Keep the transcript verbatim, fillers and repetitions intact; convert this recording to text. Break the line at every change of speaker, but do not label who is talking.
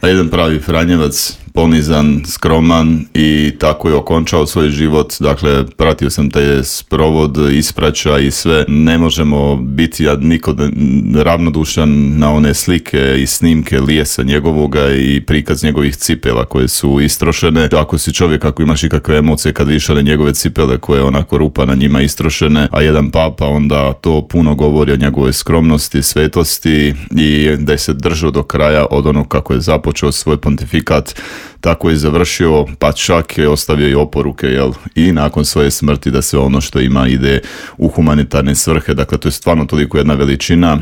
A jedan pravi Franjevac, ponizan, skroman i tako je okončao svoj život. Dakle, pratio sam taj sprovod, ispraća i sve. Ne možemo biti niko ravnodušan na one slike i snimke lijesa njegovoga i prikaz njegovih cipela koje su istrošene. Ako si čovjek, ako imaš ikakve emocije kad vidiš one njegove cipele koje onako rupa na njima istrošene, a jedan papa, onda to puno govori o njegovoj skromnosti, svetosti i da je se držao do kraja od onog kako je započeo svoj pontifikat, tako je završio, pa čak je ostavio i oporuke, jel? I nakon svoje smrti da sve ono što ima ide u humanitarne svrhe. Dakle, to je stvarno toliko jedna veličina